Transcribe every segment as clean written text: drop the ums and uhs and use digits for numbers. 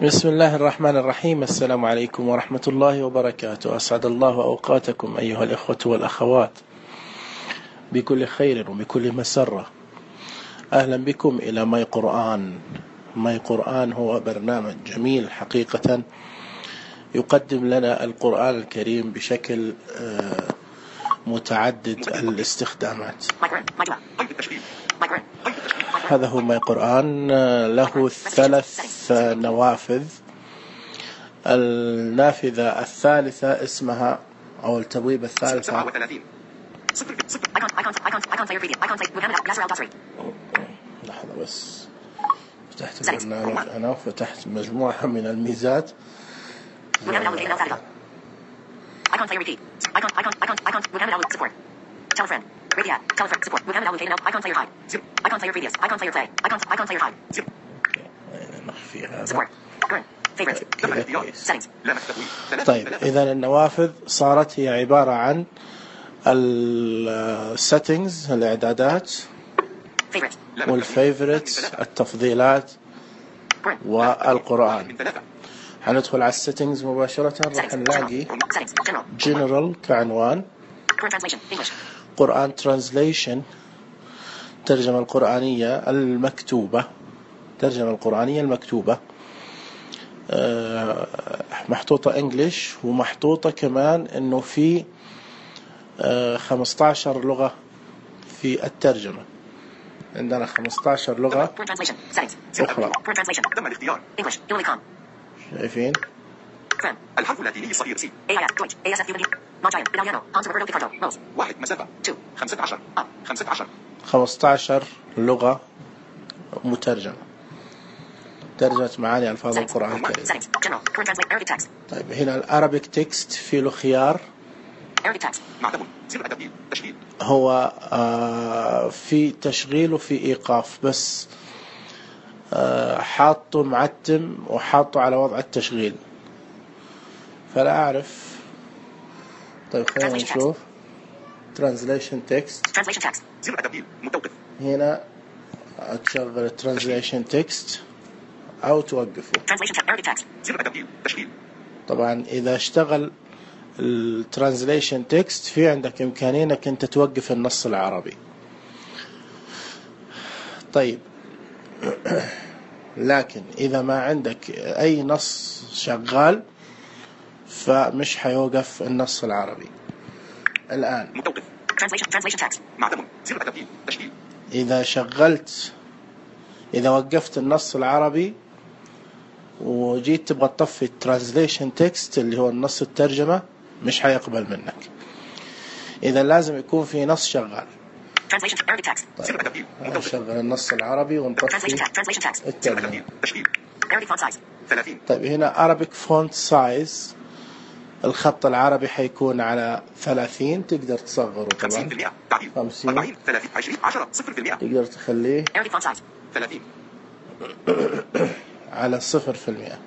بسم الله الرحمن الرحيم. السلام عليكم ورحمة الله وبركاته. أسعد الله أوقاتكم أيها الإخوة والأخوات بكل خير وبكل مسرة. أهلا بكم إلى ماي قرآن. ماي قرآن هو برنامج جميل حقيقة يقدم لنا القرآن الكريم بشكل متعدد الاستخدامات. هذا هو ماي قرآن، له 3 نوافذ. النافذة الثالثة اسمها أو التبويب الثالثة لحظة بس، فتحت البرنامج أنا وفتحت مجموعة من الميزات. نخفي هذا. طيب إذا النوافذ صارت هي عبارة عن السيتنجز الإعدادات والفيفوريتس التفضيلات والقرآن. حندخل على السيتنجز مباشرة، راح نلاقي جنرال كعنوان، قرآن ترانزليشن ترجمة القرآنية المكتوبة، ترجمة القرآنية المكتوبة محطوطة انجليش، ومحطوطة كمان انه في 15 لغة في الترجمة. عندنا 15 لغة أخرى. شايفين الحرف اللاتيني الصغير سي 15 لغة مترجمة، ترجمة معاني ألفاظ القرآن الكريم. طيب هنا الأرابيك تكست في له خيار، هو في تشغيل وفي إيقاف، بس حاطه معتم وحاطه على وضع التشغيل، فلا أعرف. طيب خلينا نشوف Translation Text. هنا تشغل Translation Text أو توقفه. طبعا إذا اشتغل الترانزليشن تكست في عندك إمكانية أنك أنت توقف النص العربي. طيب لكن إذا ما عندك أي نص شغال فمش حيوقف النص العربي. الآن إذا وقفت النص العربي وجيت تبغى تطفي الترانزليشن تكست اللي هو النص الترجمة مش حيقبل منك. إذا لازم يكون في نص شغال. طيب نشغل النص العربي ونطفي الترجمة. طيب هنا Arabic font size، الخط العربي حيكون على 30، تقدر تصغره طبعا 50، تقدر تخليه على 0%.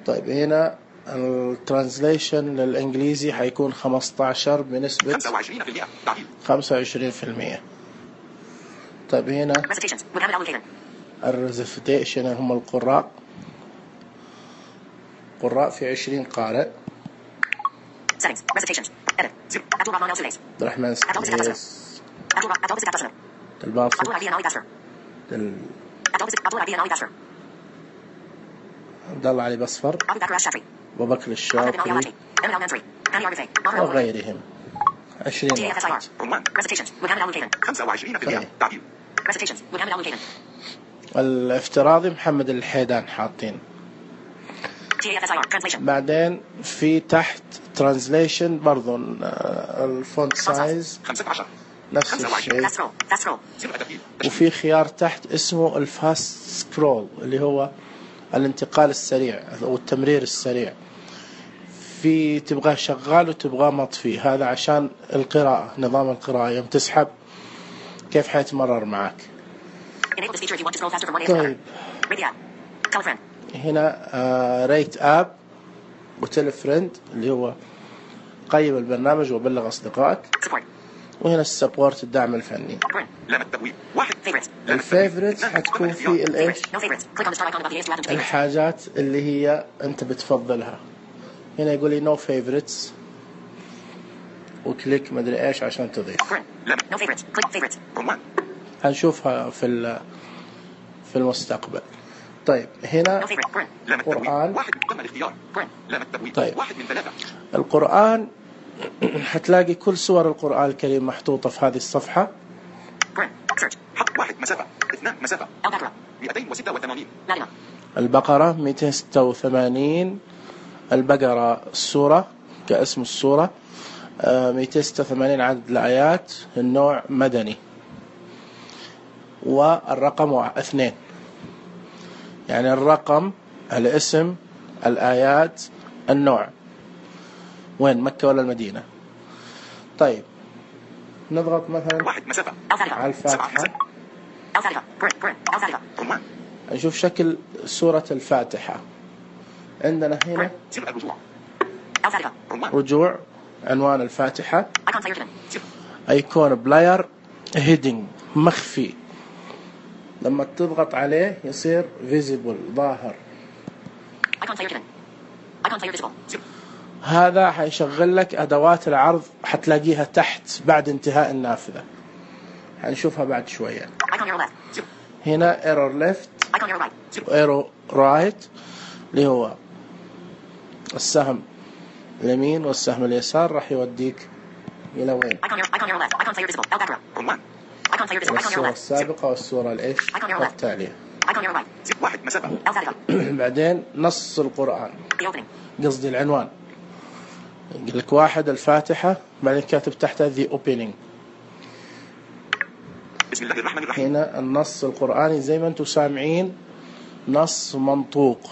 طيب هنا الترانزليشن للإنجليزي حيكون 15 بنسبة 25%. طيب هنا الريزيتيشن هم القراء في 20 قارئ. رح نسكيس الباسط عبد الله علي بصفر، أبو بكر الشافعي وغيرهم. 20 واحد. الافتراضي محمد الحيدان حاطين. بعدين في تحت ترانزليشن برضو الفونت سايز نفس الشيء، وفي خيار تحت اسمه الفاست سكرول اللي هو الانتقال السريع أو التمرير السريع. في تبغاه شغال وتبغاه مطفي، هذا عشان القراءة، نظام القراءة يوم تسحب كيف حيتمرر معك. طيب هنا ريت اب وتيل فريند اللي هو قيم البرنامج وبلغ أصدقائك، وهنا السبورت الدعم الفني. الفيفوريتس حتكون في الايش الحاجات اللي هي انت بتفضلها. هنا يقول لي نو فيفوريتس وكليك مدري ايش عشان تضيف. هنشوفها في المستقبل. طيب هنا قرآن. طيب القرآن حتلاقي كل سور القرآن الكريم محطوطة في هذه الصفحة. 1 مسافة 2 مسافة 286. البقرة 286. البقرة السورة كاسم السورة 286 عدد الآيات. النوع مدني. والرقم 2 يعني الرقم الاسم الآيات النوع. وين مكة ولا المدينة؟ طيب نضغط مثلا 1 مسافة على الفاتحة. نشوف شكل سورة الفاتحة. عندنا هنا رجوع عنوان الفاتحة. ايكون بلاير هيدنج مخفي. لما تضغط عليه يصير فيزيبل ظاهر. هذا حيشغل لك أدوات العرض حتلاقيها تحت بعد انتهاء النافذة. حنشوفها بعد شوية. هنا ايرور ليفت وايرور رايت اللي هو السهم اليمين والسهم اليسار راح يوديك إلى وين؟ الصورة السابقة والصورة الإيش التالية. بعدين نص القرآن قصدي العنوان. يقول لك 1 الفاتحة بعدين كاتب تحتها the opening. بسم الله الرحمن الرحيم. هنا النص القرآني زي ما انتم سامعين نص منطوق.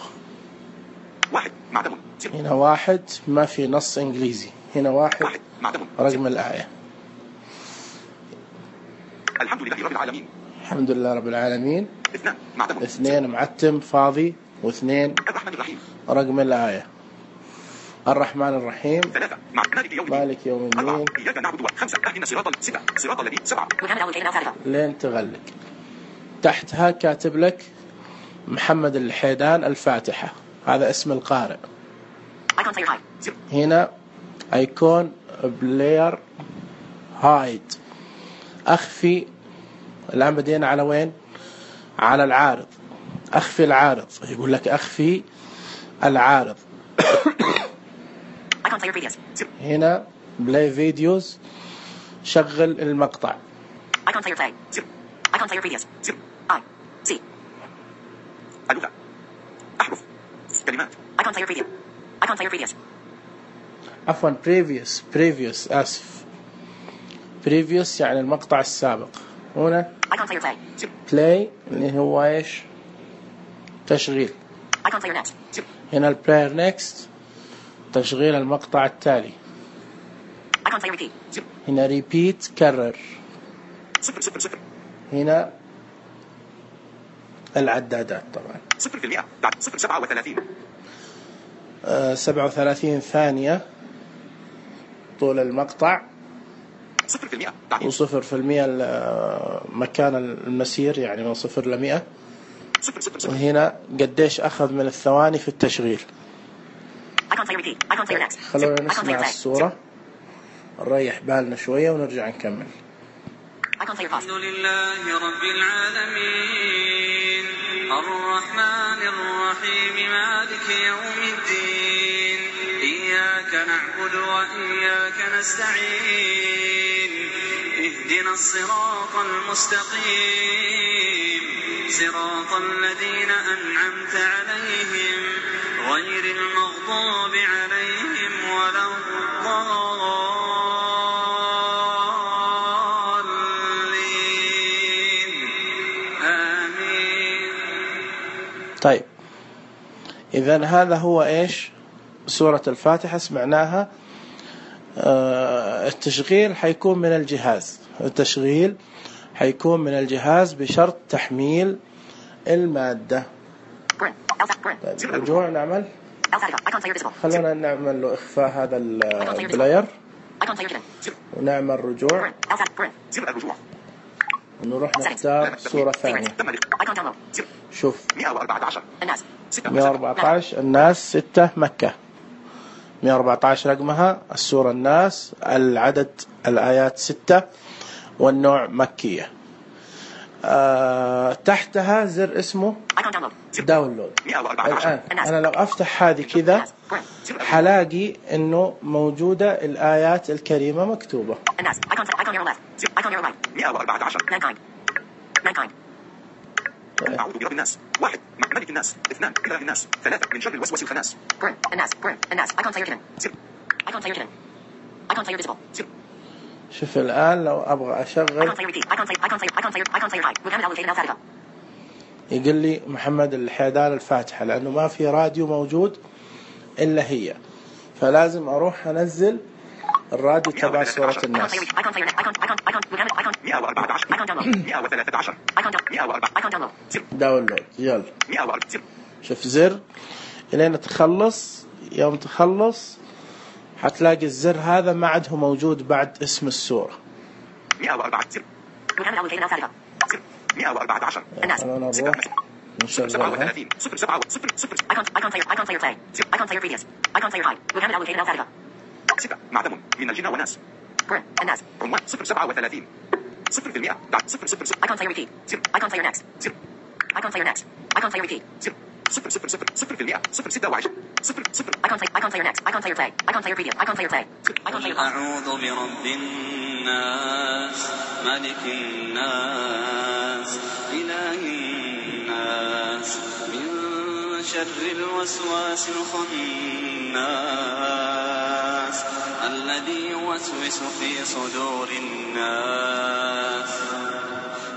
1 معدم. هنا 1 ما في نص إنجليزي. هنا 1 رقم الآية. الحمد لله رب العالمين. الحمد لله رب العالمين. 2 معدم. 2 معتم فاضي. و2 الرحمن الرحيم. رقم الآية. الرحمن الرحيم. 3 مالك يوم الدين. إياك نعبد. 5 اهدنا الصراط 6 صراط الذين 7 لين تغلق. تحتها كاتب لك محمد الحيدان الفاتحة. هذا اسم القارئ. هنا ايكون بلاير هايد اخفي. الآن بدينا على وين؟ على العارض. اخفي العارض. يقول لك اخفي العارض. هنا بلاي فيديوز شغل المقطع. اللغة أحرف كلمات عفوا previous آسف. previous يعني المقطع السابق. هنا play اللي هو ايش؟ تشغيل. هنا البلاير نيكست تشغيل المقطع التالي. هنا repeat كرر. هنا العدادات طبعا 0% بعد 37 37 ثانية طول المقطع. 0% و0% مكان المسير يعني من 0 ل 100. وهنا قديش أخذ من الثواني في التشغيل. خلونا نسمع الصورة نريح بالنا شوية ونرجع نكمل. الحمد لله رب العالمين الرحمن الرحيم مالك يوم الدين إياك نعبد وإياك نستعين اهدنا الصراط المستقيم صراط الذين أنعمت عليهم غير المغضوب عليهم ولا الضالين آمين. طيب إذن هذا هو إيش سورة الفاتحة سمعناها. التشغيل حيكون من الجهاز. التشغيل حيكون من الجهاز بشرط تحميل المادة. طيب رجوع نعمل. خلونا نعمل له إخفاء هذا البلاير. ونعمل رجوع زر الرجوع ونروح نختار صورة ثانية. شوف 114 الناس 6 مكة 114 رقمها السورة الناس العدد الآيات 6 والنوع مكية. تحتها زر اسمه داونلود. الآن أنا لو أفتح هذه كذا حلاقي إنه موجودة الآيات الكريمة مكتوبة. أعوذ برب الناس 1 ملك الناس 2 إله الناس 3 من شر الوسواس الخناس شوف الآن لو أبغى أشغل يقول لي محمد الحيدان الفاتحة لأنه ما في راديو موجود إلا هي، فلازم أروح أنزل الراديو تبع سورة الناس. 113 داونلود يلا. شوف زر إلين تخلص، يوم تخلص حتلاقي الزر هذا ما عاد هو موجود بعد اسم السورة. 114 أنا نروح نشغلها. 6 معدم من الجن والناس عنوان 037 0% قل أعوذ برب الناس ملك الناس إله الناس من شر الوسواس الخناس الذي يوسوس في صدور الناس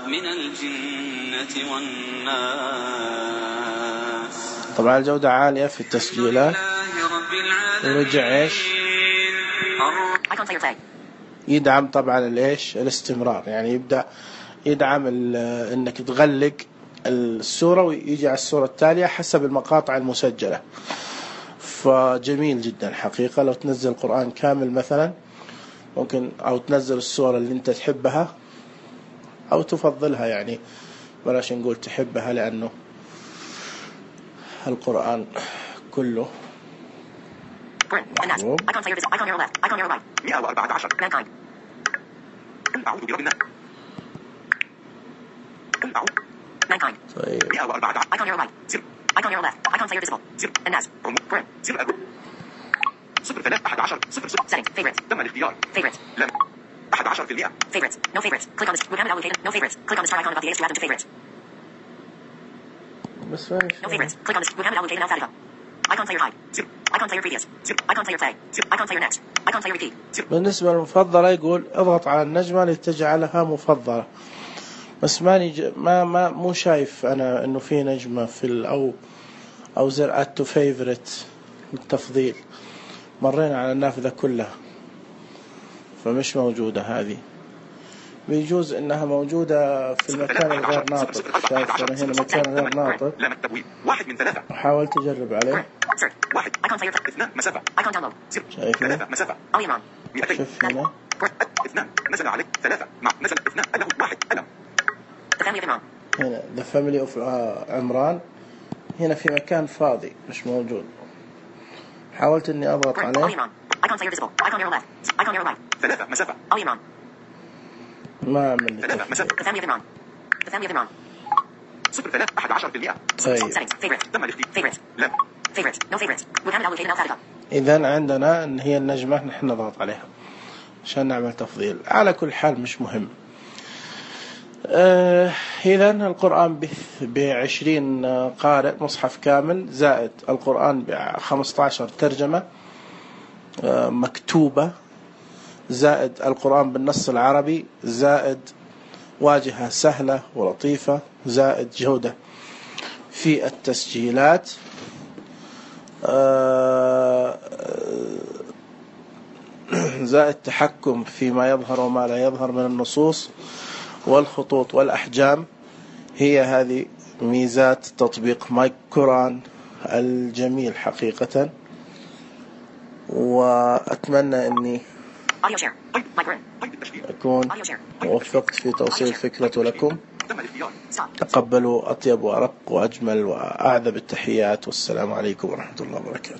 من الجنة والناس. طبعا الجودة عالية في التسجيلات. ورجع ايش يدعم طبعا الايش الاستمرار، يعني يبدأ يدعم انك تغلق السورة ويجي على السورة التالية حسب المقاطع المسجلة. فجميل جدا حقيقة. لو تنزل القرآن كامل مثلا ممكن، أو تنزل السورة اللي أنت تحبها أو تفضلها، يعني بلاش نقول تحبها لأنه القرآن كله محبوب. 114 أعوذ برب الناس طيب 114 0 3 11 0 تم الاختيار لم 11% favorites no favorites click on this program allocated no favorites click on the star icon above the H to add them to favorites بس no favorites click on this program allocated alphabet icon player hide icon player previous icon player play icon player next icon player repeat. بالنسبة للمفضلة يقول اضغط على النجمة لتجعلها مفضلة، بس ماني مو شايف أنا إنه في نجمة في أو زر add to favorite التفضيل. مرينا على النافذة كلها فمش موجودة هذه. بيجوز إنها موجودة في المكان الغير ناطق. شايف أنا هنا مكان غير ناطق. 1 من 3 وحاولت أجرب عليه. 1 2 مسافة شايف 3 مسافة شوف هنا 2 نزل عليك 3 مع نزل 2 له 1 ألم. هنا the family of عمران. هنا في مكان فاضي مش موجود. حاولت إني أضغط عليه 3 مسافة ما عمل لي 3 مسافة 0 3 11%. طيب تم الاختيار لم إذن عندنا إن هي النجمة نحن نضغط عليها عشان نعمل تفضيل. على كل حال مش مهم. إذن القرآن ب20 قارئ مصحف كامل زائد القرآن ب15 ترجمة مكتوبة زائد القرآن بالنص العربي زائد واجهة سهلة ولطيفة زائد جودة في التسجيلات زائد تحكم فيما يظهر وما لا يظهر من النصوص والخطوط والأحجام. هي هذه ميزات تطبيق ماي قرآن الجميل حقيقة. وأتمنى أني Audio share. Micro. أكون وفقت في توصيل الفكرة لكم. تقبلوا أطيب وأرق وأجمل وأعذب التحيات، والسلام عليكم ورحمة الله وبركاته.